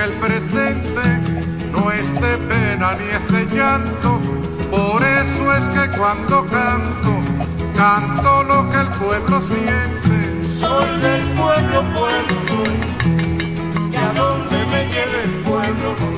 el presente no es de pena ni es de llanto. Por eso es que cuando canto, canto lo que el pueblo siente. Soy del pueblo, pueblo soy, y a donde me lleve el pueblo voy.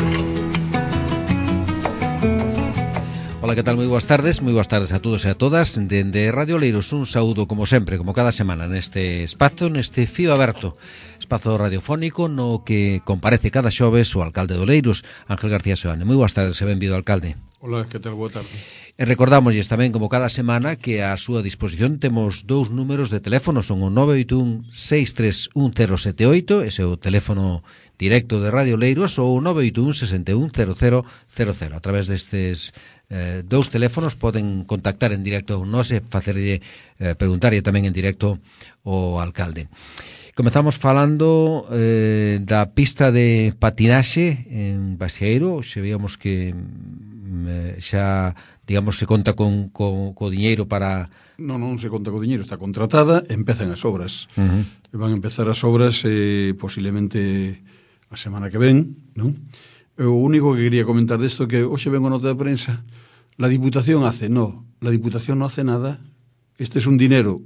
Ola, que tal? Moi boas tardes a todos e a todas. Dende Radio Oleiros, un saúdo como sempre, como cada semana, neste espazo, neste fío aberto, espazo radiofónico no que comparece cada xoves o alcalde de Oleiros, Ángel García Seoane. Moi boas tardes e benvido, alcalde. Ola, que tal? Boa tarde. E recordámosles tamén, como cada semana, que a súa disposición temos dous números de teléfono, son o 981-631-078, ese é o teléfono directo de Radio Oleiros, ou o 981-610000. A través destes dous teléfonos poden contactar en directo a nós e facerlle preguntarlle tamén en directo ao alcalde. Comezamos falando da pista de patinaxe en Baseiro. Xe víamos que xa, digamos, se conta co diñeiro para... Non se conta co diñeiro, está contratada, empezan as obras. Van a empezar as obras posiblemente a semana que ven, non? O único que quería comentar desto que hoxe vengo nota de prensa, la Diputación hace, la Diputación non hace nada. Este é un dinero...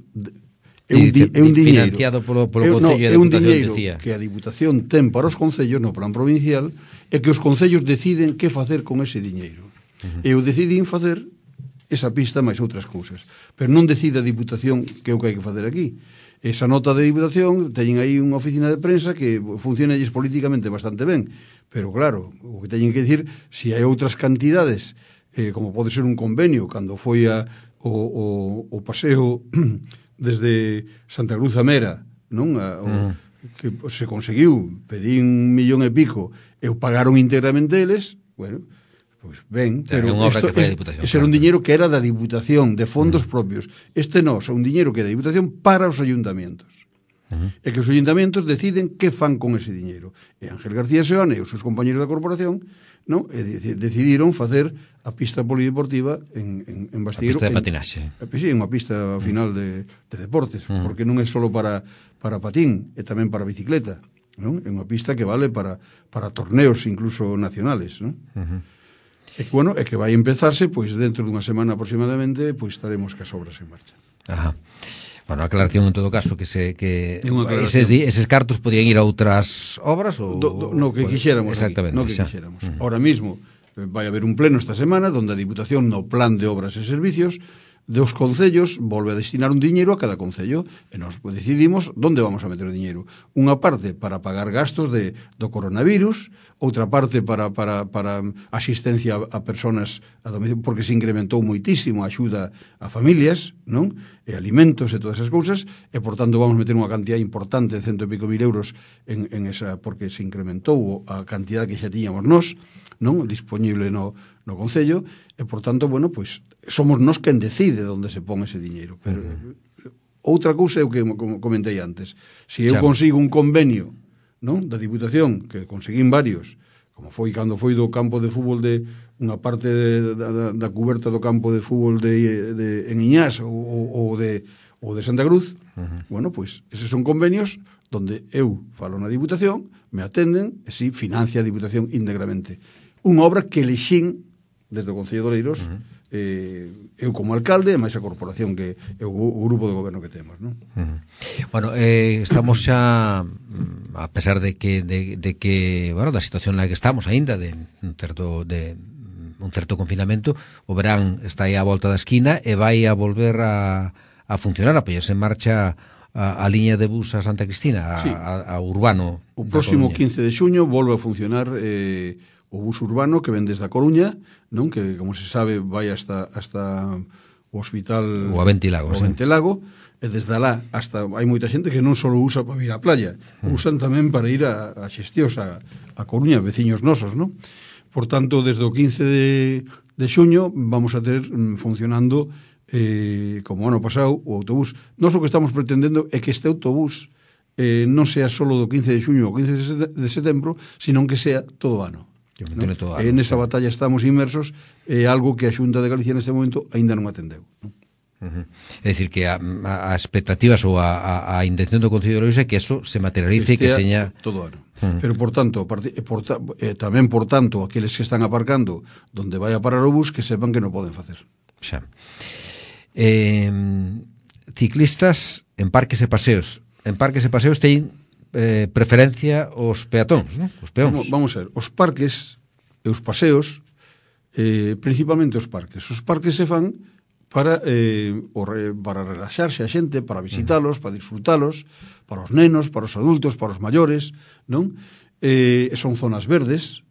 É un diñeiro financiado polo Concello de Diputación, decía. Que a Diputación ten para os concellos no plan provincial e que os concellos deciden que facer con ese diñeiro. E eu decidín facer esa pista máis outras cousas. Pero non decide a Diputación que é o que hai que facer aquí. Esa nota de Diputación, teñen aí unha oficina de prensa que funciona políticamente bastante ben. Pero claro, o que teñen que dicir, se hai outras cantidades, como pode ser un convenio, cando foi o paseo desde Santa Cruz a Mera, non? Que se conseguiu, pedí 1,5 millón e pagaron íntegramente eles, bueno, pois ben, pero ese era un diñeiro que era da Diputación, de fondos propios. Este non, é un diñeiro que é da Diputación para os ayuntamentos. E que os ayuntamentos deciden que fan con ese diñeiro. E Ángel García Seoane e os seus compañeros da corporación, non? Decidiron facer a pista polideportiva en Basteiro. A pista de patinaxe. Sí, unha pista final de deportes, porque non é só para patín, é tamén para bicicleta, non? É unha pista que vale para torneos incluso nacionales, non? E bueno, é que vai empezarse, pois dentro dunha semana aproximadamente, pois estaremos cas obras en marcha. Ajá. Bueno, a aclaración en todo caso que eses cartos podían ir a outras obras ou no que quixéramos. Exactamente, no que quixéramos. Ahora mismo vai haber un pleno esta semana onde a Diputación no plan de obras e servicios dos concellos volve a destinar un diñeiro a cada concello e nos decidimos onde vamos a meter o diñeiro. Unha parte para pagar gastos do coronavirus, outra parte para asistencia a personas a domicilio, porque se incrementou moitísimo a axuda a familias, non? E alimentos e todas esas cousas, e por tanto vamos meter unha cantidad importante de 100 e pico mil euros en esa, porque se incrementou a cantidad que xa tiñamos nós, non? Disponible no concello, e por tanto, bueno, pois somos nós quen decide onde se pon ese diñeiro. Pero outra cousa é o que comentei antes. Se eu consigo un convenio, non, da Diputación, que conseguín varios, como foi cando foi do campo de fútbol de unha parte da cuberta do campo de fútbol en Iñás ou de Santa Cruz, bueno, pois eses son convenios donde eu falo na Diputación, me atenden e si financia a Diputación íntegramente. Unha obra que elexín desde o Concello de Oleiros, eu como alcalde e máis a corporación que é o grupo de goberno que temos, non? Bueno, estamos xa, a pesar de que bueno, da situación na que estamos aínda de un certo confinamento, o verán está aí á volta da esquina e vai a volver a funcionar, a poñerse en marcha a liña de bus a Santa Cristina, a Urbano. O próximo 15 de xuño volve a funcionar o bus urbano que ven desde a Coruña, non? Que, como se sabe, vai hasta o hospital o Aventilago, e desde alá hasta hai moita xente que non só usa para ir á playa, usan tamén para ir a Xestións, a Coruña, veciños nosos, non? Por tanto, desde o 15 de xuño vamos a ter funcionando como ano pasado o autobús. Nós o que estamos pretendendo é que este autobús non sea só do 15 de xuño ou 15 de setembro, sino que sea todo o ano. ¿No? En esa batalla estamos inmersos, algo que a Xunta de Galicia neste momento aínda non atendeu, non? É dicir que as expectativas ou a intención do Concello de Oleiros é que eso se materialice, que seña todo ano. Pero, por tanto, tamén, por tanto, aqueles que están aparcando donde vai a parar o bus, que sepan que non poden facer. Xa. Ciclistas en parques e paseos. En parques e paseos teñen preferencia os peatóns, non? Os peóns. Vamos a ver, os parques e os paseos, principalmente os parques. Os parques se fan para relaxarse a xente, para visitalos, para disfrutalos, para os nenos, para os adultos, para os maiores, non? Son zonas verdes,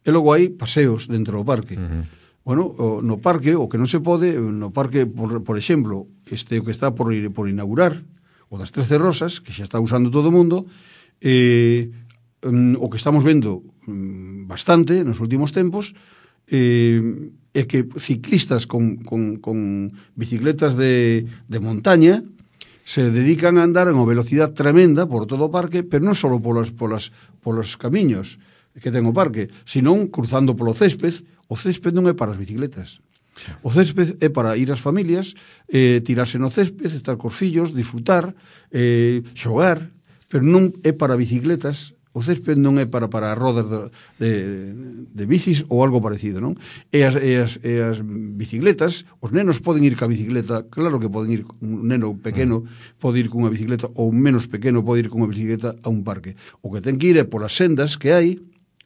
e logo hai paseos dentro do parque. Bueno, no parque, o que non se pode, no parque, por exemplo, o que está por inaugurar, o das 13 Rosas, que xa está usando todo o mundo, o que estamos vendo bastante nos últimos tempos, é que ciclistas con bicicletas de montaña se dedican a andar en unha velocidade tremenda por todo o parque, pero non só polos camiños que ten o parque, senón cruzando polo césped. O césped non é para as bicicletas. O césped é para ir ás familias, tirarse no césped, estar cos fillos, disfrutar, xogar, pero non é para bicicletas. O césped non é para rodas de bicis ou algo parecido, non? E as bicicletas, os nenos poden ir ca bicicleta, claro que poden ir, un neno pequeno pode ir cunha bicicleta, ou un menos pequeno pode ir cunha bicicleta a un parque. O que ten que ir é polas sendas que hai,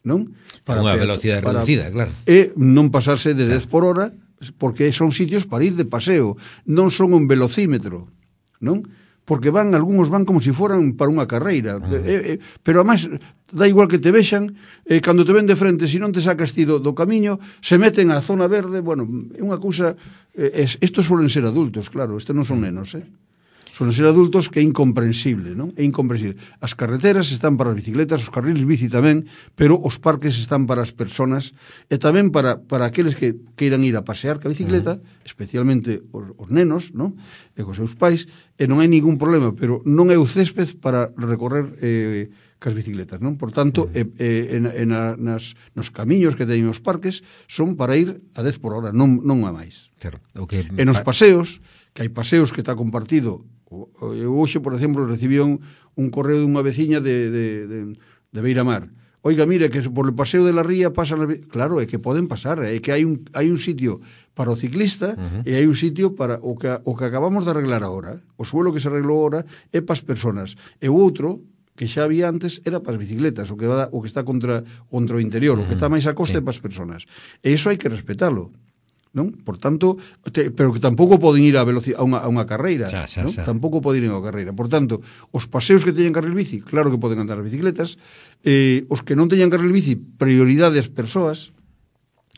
non? Para unha velocidade reducida, claro. E non pasarse de 10 por hora, porque son sitios para ir de paseo, non son un velocímetro, non? Porque algúns van como se foran para unha carreira, pero además dá igual que te vexan, cando te ven de frente, se non te sacas ti do camiño, se meten á zona verde. Bueno, é unha cousa, estos suelen ser adultos, claro, estes non son nenos, suelen ser adultos, que é incomprensible, non? É incomprensible. As carreteras están para as bicicletas, os carriles bici tamén, pero os parques están para as personas, e tamén para aqueles que queiran ir a pasear ca bicicleta, especialmente os nenos, non? E cos seus pais, e non hai ningún problema, pero non é o césped para recorrer cas bicicletas, non? Por tanto, nos camiños que teñen os parques son para ir a 10 por hora, non a máis. Claro. E nos paseos, que hai paseos que está compartido. Hoxe, por exemplo, recibí un correo dunha veciña de Beiramar. Oiga, mire, que por el paseo de la ría pasan... Claro, é que poden pasar, é que hai un sitio para o ciclista e hai un sitio para o que acabamos de arreglar agora. O suelo que se arreglou agora é para as personas. E o outro, que xa había antes, era para as bicicletas, o que está contra o interior, o que está máis a costa é para as personas. E iso hai que respetalo, non? Por tanto, pero que tampouco poden ir a unha carreira, non? Tampouco poden ir a unha carreira. Por tanto, os paseos que teñen carril bici, claro que poden andar as bicicletas, os que non teñan carril bici, prioridade ás persoas,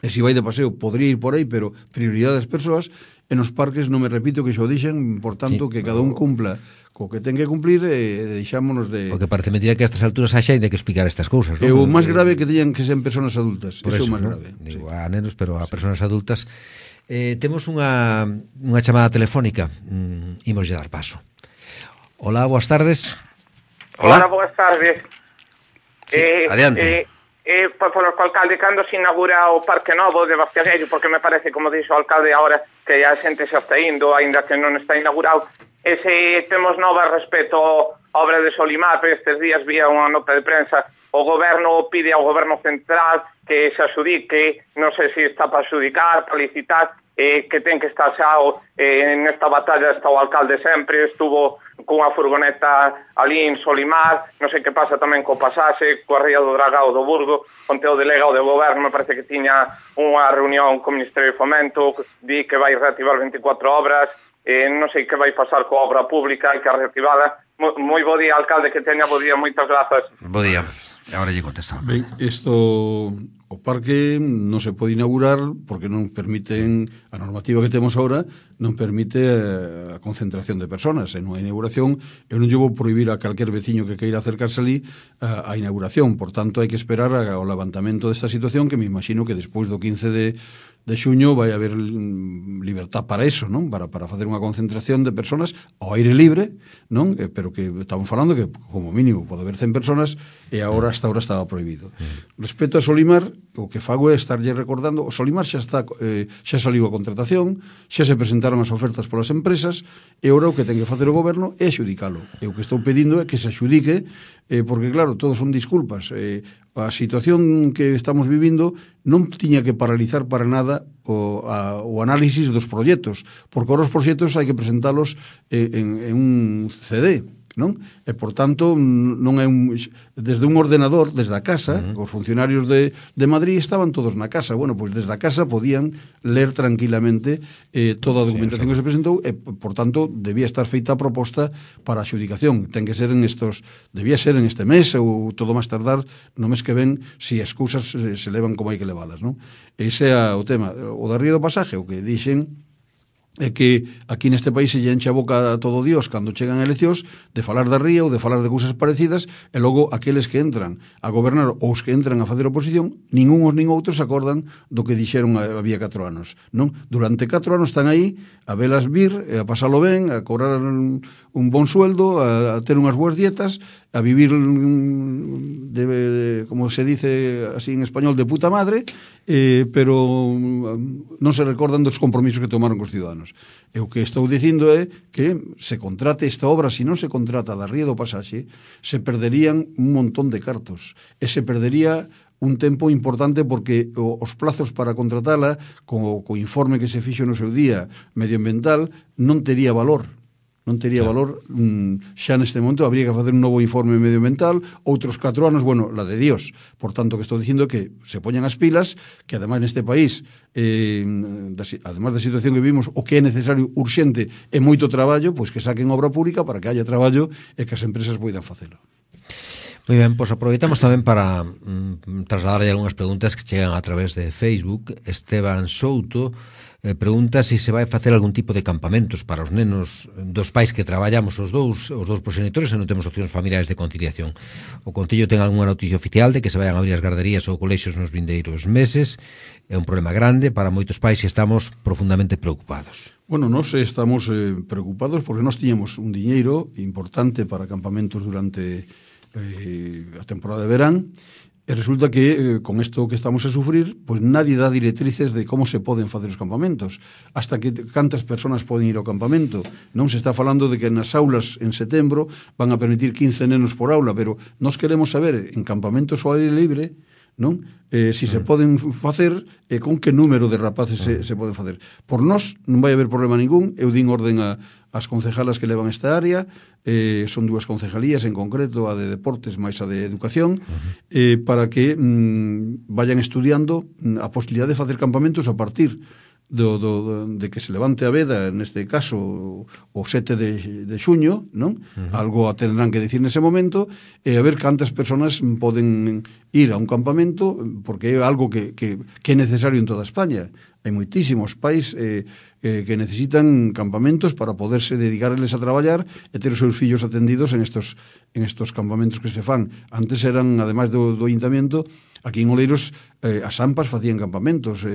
e se vai de paseo, podría ir por aí, pero prioridade ás persoas, e nos parques, non me repito que xo dixen, por tanto, que cada un cumpla co que ten que cumplir, deixámonos de... O que parece mentira que a estas alturas haxa de que explicar estas cousas, non? E o máis grave que teñan que ser persoas adultas. Por eso, é o máis ¿no? grave. Digo, a nenos, pero a persoas adultas. Temos unha chamada telefónica. Imos lle dar paso. Hola, boas tardes. Hola, boas tardes. Sí, adiante. Por o alcalde, cando se inaugura o Parque Novo de Bastiagueiro, porque me parece, como dixo o alcalde agora, que a xente xa está indo, aínda que non está inaugurado, e se temos novas respecto á obra de Solimar, pero estes días vía unha nota de prensa, o goberno pide ao goberno central que se adxudique, non sei se está para adxudicar, para licitar, que ten que estar xa nesta batalla. Está o alcalde sempre, estuvo cunha furgoneta ali en Solimar, non sei que pasa tamén co pasaxe, coa ría do Dragao do Burgo, onte o delegado de goberno me parece que tiña unha reunión co Ministerio de Fomento, di que vai reactivar 24 obras, non sei que vai pasar coa obra pública, hai que reactivala. Moi bo día, alcalde, que teña bo día, moitas grazas. Bo día. Agora lle contestamos. Ben, o parque non se pode inaugurar porque non permiten, a normativa que temos agora non permite a concentración de personas. En unha inauguración eu non lle vou prohibir a calquer veciño que queira acercarse ali a inauguración. Por tanto, hai que esperar ao levantamento desta situación, que me imagino que despois do 15 de xuño vai haber libertad para eso, non? Para facer unha concentración de personas ao aire libre, non? Pero que estamos falando que como mínimo pode haber 100 personas e hasta ahora estaba prohibido. Respecto a Solimar, o que fago é estarlle recordando, o Solimar xa saliu a contratación, xa se presentaron as ofertas polas empresas, e ora o que ten que facer o goberno é axudicalo. E o que estou pedindo é que se axudique porque claro, todos son disculpas. A situación que estamos vivindo non tiña que paralizar para nada o análisis dos proxectos, porque os proxectos hai que presentalos en un CD, non? E, por tanto, non é desde un ordenador, desde a casa, os funcionarios de Madrid estaban todos na casa. Bueno, pois desde a casa podían ler tranquilamente toda a documentación que se presentou e, por tanto, debía estar feita a proposta para a adxudicación. Ten que ser debía ser en este mes ou todo máis tardar no mes que ven, se as cousas se levan como hai que levalas, non? Ese é o tema. O da Ría do Pasaje, o que dixen é que aquí neste país se lle enche a boca a todo Dios cando chegan eleccións de falar da ría ou de falar de cousas parecidas e logo aqueles que entran a gobernar ou os que entran a fazer oposición nin uns nin outros se acordan do que dixeron había 4 anos, non? Durante 4 anos están aí a velas vir, a pasalo ben, a cobrar un bon sueldo, a ter unhas boas dietas, a vivir como se dice así en español, de puta madre, pero non se recordan dos compromisos que tomaron cos ciudadanos. E o que estou dicindo é que se contrate esta obra, se non se contrata da Ría do Pasaxe, se perderían un montón de cartos, e se perdería un tempo importante porque os plazos para contratala, co informe que se fixo no seu día medioambiental, non tería valor. Non tería valor xa neste momento, habría que facer un novo informe medioambiental, outros 4 anos, bueno, la de Dios. Por tanto, que estou dicindo que se poñan as pilas, que ademais neste país, ademais da situación que vivimos, o que é necesario, urxente, é moito traballo, pois que saquen obra pública para que haya traballo e que as empresas poidan facelo. Moi ben, pois aproveitamos tamén para trasladarlle algunhas preguntas que chegan a través de Facebook. Esteban Souto pregunta se vai facer algún tipo de campamentos para os nenos dos pais que traballamos os dous proxenitores e non temos opcións familiares de conciliación. O Concello ten algunha noticia oficial de que se vayan a abrir as garderías ou colexios nos vindeiros meses. É un problema grande para moitos pais e estamos profundamente preocupados. Bueno, nós estamos preocupados porque nós tiñamos un diñeiro importante para campamentos durante a temporada de verán. E resulta que, con isto que estamos a sufrir, pois nadie dá directrices de como se poden facer os campamentos. Hasta que cantas persoas poden ir ao campamento. Non se está falando de que nas aulas en setembro van a permitir 15 nenos por aula, pero nós queremos saber, en campamentos ao aire libre, non? Si se poden facer e con que número de rapaces se poden facer. Por nós non vai haber problema ningún. Eu din orden as concejalas que levan esta área, son 2 concejalías en concreto, a de deportes máis a de educación, para que vayan estudiando a posibilidade de facer campamentos a partir de que se levante a veda, neste caso o 7 de xuño, non? Algo tendrán que dicir nese momento, e a ver cantas persoas poden ir a un campamento, porque é algo que é necesario en toda España. Hai moitísimos pais que necesitan campamentos para poderse dedicarles a traballar e ter os seus fillos atendidos en estos campamentos que se fan. Antes eran, ademais do Ayuntamiento, aquí en Oleiros as AMPAs facían campamentos,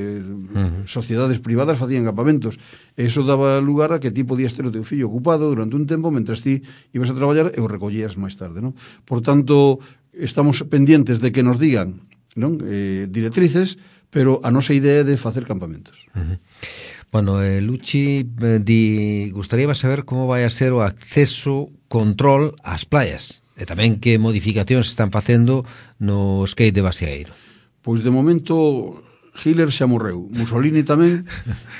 sociedades privadas facían campamentos. Eso daba lugar a que ti podías ter o teu fillo ocupado durante un tempo mentras ti ibas a traballar e o recollías máis tarde, non? Por tanto, estamos pendientes de que nos digan, non? Directrices, pero a nosa idea é de facer campamentos. Bueno, Luchi gustaría saber como vai a ser o acceso, control ás playas e tamén que modificacións están facendo no skate de Baseaeiro. Pois de momento Hitler xa morreu, Mussolini tamén,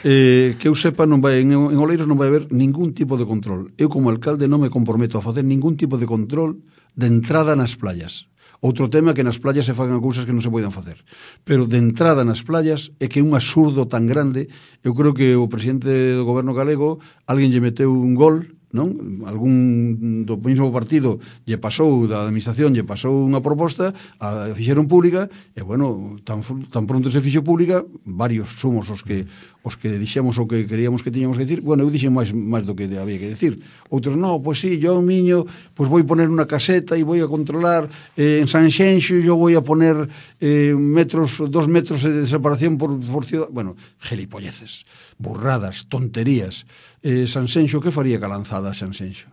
que eu sepa en Oleiros non vai haber ningún tipo de control. Eu como alcalde non me comprometo a facer ningún tipo de control de entrada nas playas. Outro tema é que nas playas se fagan cousas que non se poden facer. Pero de entrada nas playas é que é un absurdo tan grande. Eu creo que o presidente do goberno galego, alguén lle meteu un gol, non? Algún do mesmo partido lle pasou, da administración lle pasou unha proposta, a fixeron pública, e bueno, tan pronto se fixo pública, varios somos os que dixemos o que queríamos que tiñamos que decir. Bueno, eu dixen máis do que había que decir. Outros, no, pois sí, yo, miño, pois vou poner unha caseta e vou a controlar en Sanxenxo, yo vou a poner 2 metros de separación por ciudad. Bueno, gelipolleces, burradas, tonterías. Sanxenxo, que faría ca lanzada Sanxenxo?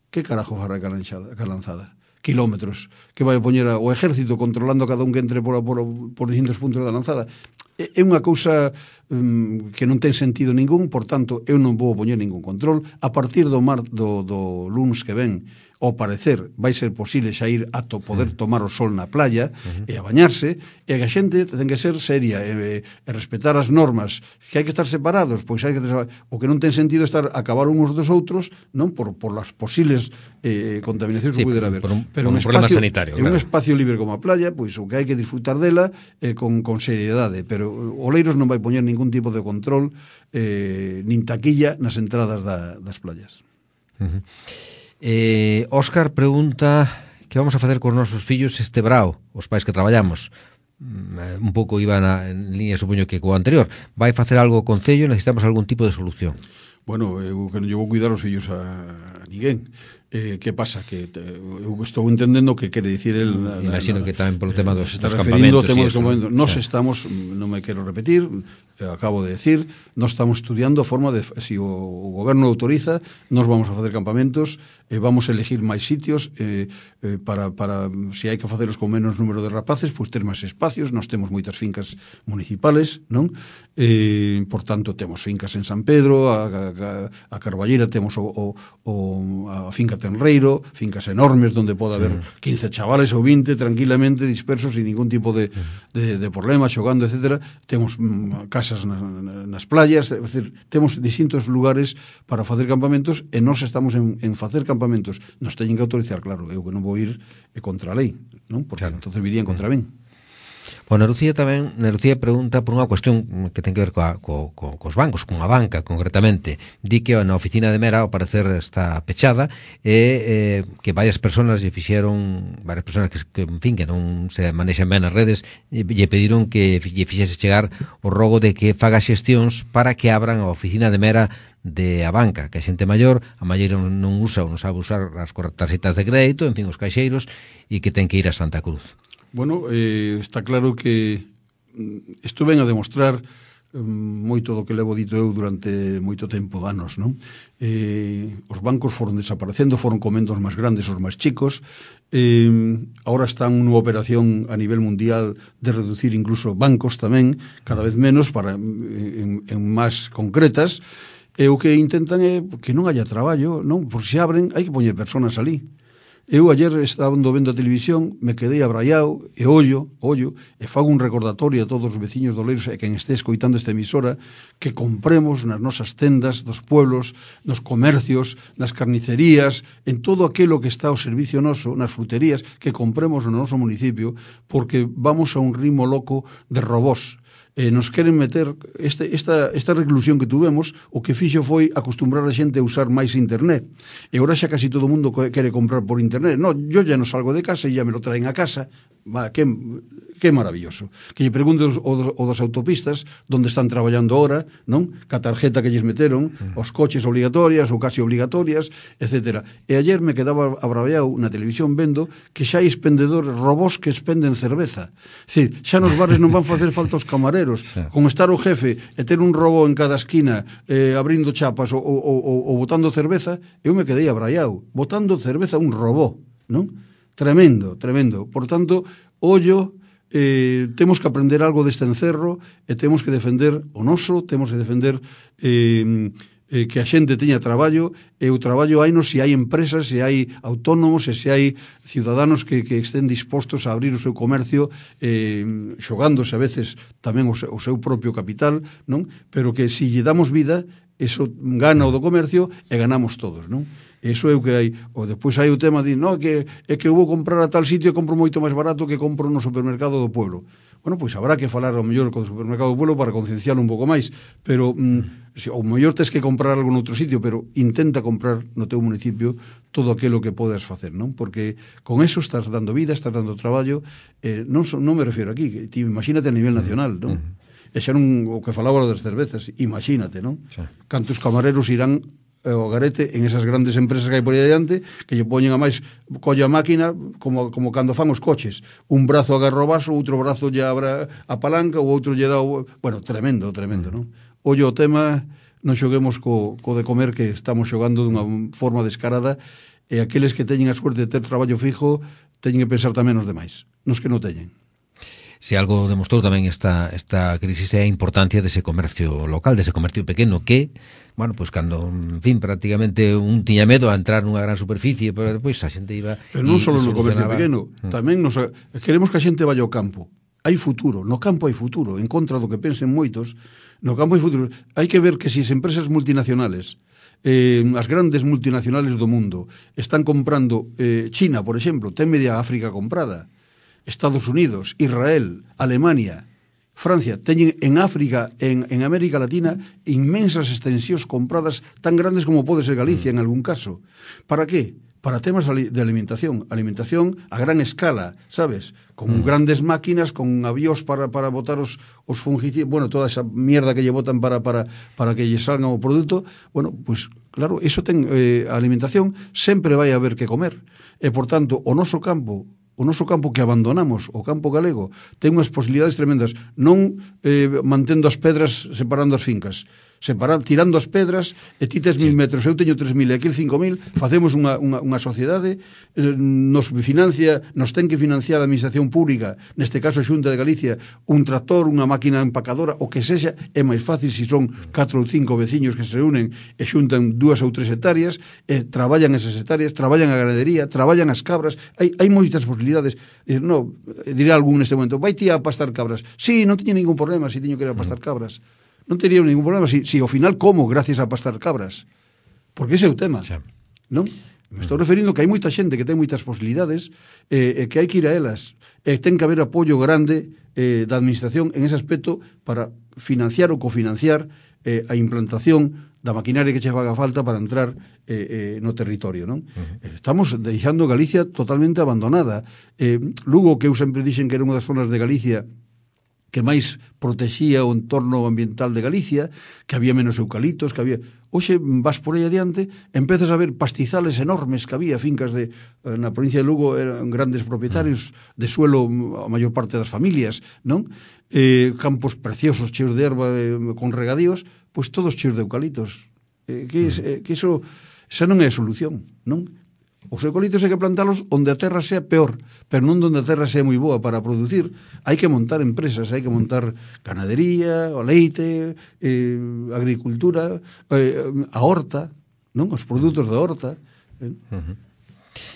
Que carajo fará ca lanzada? Kilómetros. Que vai a poñer o exército controlando cada un que entre por distintos puntos da lanzada? É unha cousa que non ten sentido ningún, por tanto, eu non vou poñer ningún control. A partir do lunes que ven, ao parecer, vai ser posible xa ir a poder tomar o sol na playa e a bañarse, e a xente ten que ser seria e respetar as normas, que hai que estar separados, pois hai que o que non ten sentido estar a acabar uns dos outros, non por las posibles contaminacións que pudera haber. Pero un problema sanitario, claro. Un espacio libre como a playa, pois o que hai que disfrutar dela con seriedade, pero Oleiros non vai poñer ningún tipo de control nin taquilla nas entradas das playas. Óscar pregunta que vamos a facer cos nosos fillos este brao, os pais que traballamos. Un pouco iba en línea, supoño que co anterior. Vai facer algo o Concello, necesitamos algún tipo de solución. Bueno, eu que non llevo a cuidar os fillos a ninguén. Que pasa? Que eu estou entendendo que quere dicir el... Imagino que tamén polo tema dos campamentos. Nos estamos, non me quero repetir, acabo de decir, nos estamos estudiando a forma de, si o goberno autoriza, nos vamos a facer campamentos, vamos a elegir máis sitios para se hai que facelos con menos número de rapaces, pois ter máis espacios. Nós temos moitas fincas municipales, non? Por tanto, temos fincas en San Pedro, a Carballeira, temos a finca Tenreiro, fincas enormes onde pode haber 15 chavales ou 20 tranquilamente dispersos sin ningún tipo de problema, xogando, etc. Temos casas nas playas, é dicir, temos distintos lugares para facer campamentos e nós estamos en facer campamentos. Nos teñen que autorizar, claro, eu que non vou ir contra a lei, non? Porque entonces virían contra min. Bueno, Lucía pregunta por unha cuestión que ten que ver cos bancos, cunha banca concretamente. Di que na oficina de Mera ao parecer está pechada e que varias persoas que en fin, que non se manexan ben as redes, lle pediron que lle fixese chegar o rogo de que faga xestións para que abran a oficina de Mera de a banca, que a xente maior a maioría non usa ou non sabe usar as tarxetas de crédito, en fin, os caixeiros, e que ten que ir a Santa Cruz. Bueno, está claro que isto ven a demostrar moito do que levo dito eu durante moito tempo, anos, non? Os bancos foron desaparecendo, foron comendo os máis grandes, os máis chicos, ahora están nunha operación a nivel mundial de reducir incluso bancos tamén, cada vez menos, en máis concretas, e o que intentan é que non haya traballo, non? Porque se abren, hai que poñer personas ali. Eu ayer estaba vendo a televisión, me quedei abraiado e ollo, e fago un recordatorio a todos os veciños do Oleiros e quen este escoitando esta emisora que compremos nas nosas tendas dos pueblos, nos comercios, nas carnicerías, en todo aquilo que está ao servicio noso, nas fruterías, que compremos no noso municipio, porque vamos a un ritmo loco de robós. Nos queren meter esta reclusión que tuvemos, o que fixo foi acostumbrar a xente a usar máis internet, e agora xa casi todo o mundo quere comprar por internet. No, yo ya non salgo de casa e ya me lo traen a casa. Que maravilloso. Que lle pregunte o das autopistas onde están traballando ahora, non? Ca tarjeta que lles meteron, os coches obligatorias ou casi obligatorias, etc. E ayer me quedaba abraviado na televisión vendo que xa hai expendedores, robós que expenden cerveza. É dicir, xa nos bares non van facer falta os camareros. Con estar o jefe e ter un robó en cada esquina abrindo chapas ou botando cerveza, eu me quedei abraviado. Botando cerveza un robó, non? Tremendo, tremendo. Por tanto, ollo, temos que aprender algo deste encerro e temos que defender o noso, temos que defender que a xente teña traballo, e o traballo hainos se hai empresas, se hai autónomos e se hai ciudadanos que estén dispostos a abrir o seu comercio, xogándose a veces tamén o seu propio capital, non? Pero que se lle damos vida, eso gana o do comercio e ganamos todos, non? Eso é o que hai. Ou despois hai o tema de, no, que é que eu vou comprar a tal sitio e compro moito máis barato que compro no supermercado do pueblo. Bueno, pois habrá que falar ao mellor co supermercado do pueblo para concienciar un pouco máis, pero ao mellor tes que comprar algo noutro sitio, pero intenta comprar no teu municipio todo aquilo que podes facer, non? Porque con eso estás dando vida, estás dando traballo, non me refiero aquí, que imagínate a nivel nacional, non? E xa non o que falaba das cervezas, imagínate, non? Cantos camareros irán o garete en esas grandes empresas que hai por aí adiante, que lle poñen a máis, colla a máquina como cando fan os coches, un brazo agarra o vaso, outro brazo lle abra a palanca, o outro lle dá o... Bueno, tremendo, non? Ollo o tema, non xoguemos co de comer, que estamos xogando dunha forma descarada, e aqueles que teñen a suerte de ter traballo fijo teñen que pensar tamén nos demais, nos que non teñen. Se algo demostrou tamén esta crisis é a importancia dese comercio local, dese comercio pequeno que, bueno, pois cando, en fin, prácticamente un tiña medo a entrar nunha gran superficie, pero depois a xente iba... Pero non só no comercio pequeno, tamén queremos que a xente vaya ao campo. Hai futuro, no campo hai futuro, en contra do que pensen moitos, no campo hai futuro. Hai que ver que se as empresas multinacionales, as grandes multinacionales do mundo, están comprando China, por exemplo, ten media África comprada, Estados Unidos, Israel, Alemania, Francia, teñen en África, en América Latina, inmensas extensións compradas tan grandes como pode ser Galicia en algún caso. Para qué? Para temas de alimentación a gran escala, sabes? Con grandes máquinas, con avións para botar os fungicidas, bueno, toda esa mierda que lle botan para que lle salga o produto. Bueno, pues claro, eso ten a alimentación sempre vai haber que comer. E, por tanto, o noso campo que abandonamos, o campo galego, ten unhas posibilidades tremendas, non mantendo as pedras separando as fincas, tirando as pedras, e ti tes 1000 metros, eu teño 3000 e aquil 5000, facemos unha sociedade, nos ten que financiar a administración pública, neste caso a Xunta de Galicia, un tractor, unha máquina empacadora, o que sexa, é máis fácil se son 4 ou 5 veciños que se reúnen e xuntan 2 ou 3 hectáreas, e traballan esas hectáreas, traballan a ganadería, traballan as cabras, hai moitas posibilidades. No, dirá algún neste momento, vai ti a pastar cabras? Sí, non teño ningún problema se teño que ir a pastar cabras. Non tería ningún problema si ao final como gracias a pastar cabras, porque ese é o tema, non? Me estou referindo que hai moita xente que ten moitas posibilidades e que hai que ir a elas, e ten que haber apoio grande da administración en ese aspecto para financiar ou cofinanciar a implantación da maquinaria que che faga falta para entrar no territorio, non? Estamos deixando Galicia totalmente abandonada. Lugo, que eu sempre dixen que era unha das zonas de Galicia que máis protexía o entorno ambiental de Galicia, que había menos eucaliptos, que había... Hoxe vas por aí adiante, empezas a ver pastizales enormes que había, fincas na provincia de Lugo eran grandes propietarios de suelo, a maior parte das familias, non? Campos preciosos, cheos de erva, con regadíos, pois todos cheos de eucaliptos. Que iso, esa non é a solución, non? Os eucaliptos hai que plantalos onde a terra sea peor, pero non onde a terra sea moi boa para producir. Hai que montar empresas, hai que montar ganadería, o leite, agricultura, a horta, non? Os produtos da horta.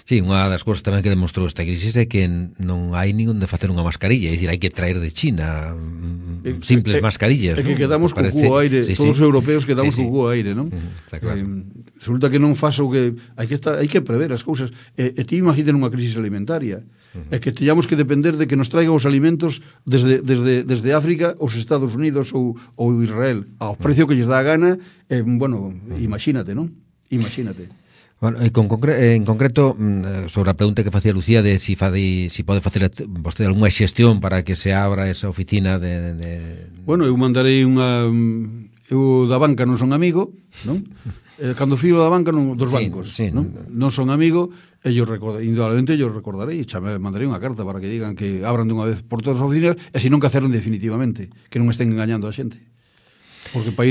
Sí, unha das cousas tamén que demostrou esta crisis é que non hai ningún de facer unha mascarilla, é dicir, hai que traer de China simples mascarillas. É que quedamos co cubo aire, todos os europeos quedamos co cubo aire, non? Está claro. Resulta que non faso que hai que prever as cousas. E ti imagínate nunha crisis alimentaria, é que teñamos que depender de que nos traigan os alimentos desde África, os Estados Unidos ou Israel, ao precio que lles dá a gana. Bueno, imagínate, non? Imagínate. Bueno, en concreto, sobre a pregunta que facía Lucía de si pode facer vostede algunha xestión para que se abra esa oficina de... Bueno, eu mandarei unha... Eu da banca non son amigo, non? Cando filo da banca dos bancos, non son amigo, indudablemente yo recordarei, mandarei unha carta para que digan que abran de unha vez por todas as oficinas, e se non que cerren definitivamente, que non estén engañando a xente. Porque para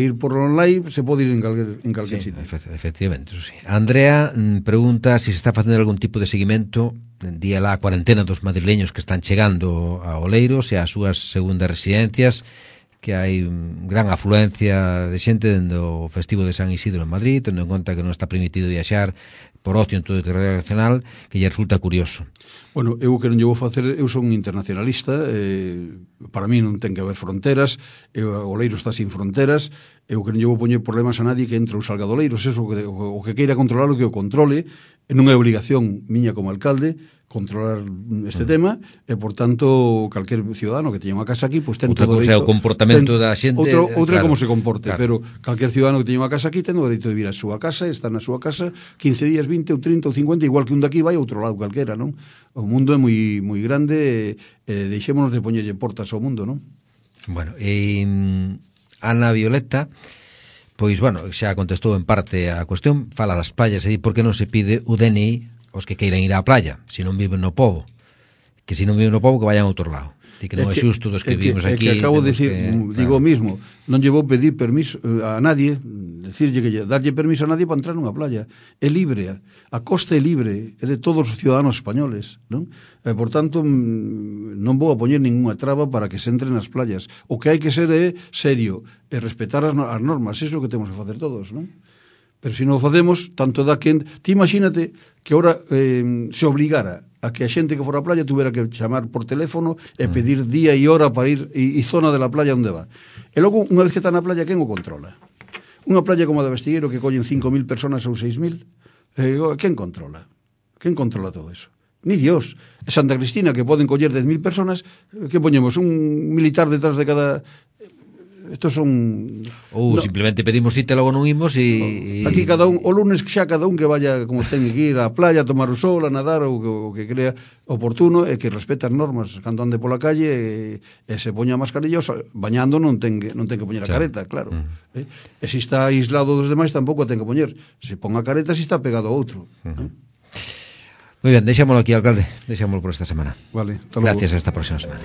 ir por online se pode ir en calquer sitio. Efectivamente, eso sí. Andrea pregunta se está facendo algún tipo de seguimento día lá a cuarentena dos madrileños que están chegando a Oleiros e ás súas segundas residencias, que hai gran afluencia de xente dende o festivo de San Isidro en Madrid, tendo en conta que non está permitido viaxar por ocio en todo o territorio nacional, que lle resulta curioso. Bueno, eu que non lle vou facer, eu son internacionalista, para mí non ten que haber fronteras, o Oleiros está sin fronteras, eu que non lle vou poñer problemas a nadie que entre ou salga do Oleiros, eso, o que queira controlar o que o controle, non é obligación miña como alcalde controlar este tema, e por tanto calquer ciudadano que teña unha casa aquí, pois ten todo o dereito. O comportamento da xente, outra claro, como se comporte, claro. Pero calquer ciudadano que teña unha casa aquí ten o dereito de vir a súa casa, está na súa casa 15 días, 20 ou 30 ou 50, igual que un daqui vai a outro lado calquera, non? O mundo é moi grande, deixémonos de poñerlle portas ao mundo, non? Bueno, Ana Violeta, pois, bueno, xa contestou en parte a cuestión, fala das playas, e di por que non se pide o DNI os que queiran ir á playa, se non viven no pobo, que se non viven no pobo que vayan a outro lado. Que non é xusto dos que vivimos aquí. Que acabo de decir, digo o mismo, non lle vou pedir permiso a nadie, decirlle que darlle permiso a nadie para entrar nunha playa. É libre, a costa é libre, é de todos os ciudadanos españoles, non? Por tanto, non vou a poñer ninguna traba para que se entre nas playas. O que hai que ser é serio, e respetar as normas, iso é o que temos que facer todos, non? Pero se non o facemos, tanto dá que... Ti imagínate que ahora se obligara a que a xente que fora á playa tuvera que chamar por teléfono e pedir día e hora para ir e zona de la playa onde va. E logo, unha vez que está na playa, quen o controla? Unha playa como a de Vestigueiro que collen 5.000 personas ou 6.000, quen controla? Quen controla todo eso? Ni Dios. Santa Cristina, que poden coller 10.000 personas, que poñemos? Un militar detrás de cada... Estos son... Ou simplemente pedimos cita e logo non imos e... Aquí cada un, o lunes xa cada un que vaya como ten que ir á playa a tomar o sol, a nadar o que crea oportuno e que respete as normas cando ande pola calle e se poña mascarillos, bañando non ten que poñer a careta, claro. E se está aislado dos demais tampouco a ten que poñer. Se pon a careta se está pegado a outro. Moi ben, deixámoslo aquí, alcalde. Deixámoslo por esta semana. Vale, hasta logo. Gracias, hasta a próxima semana.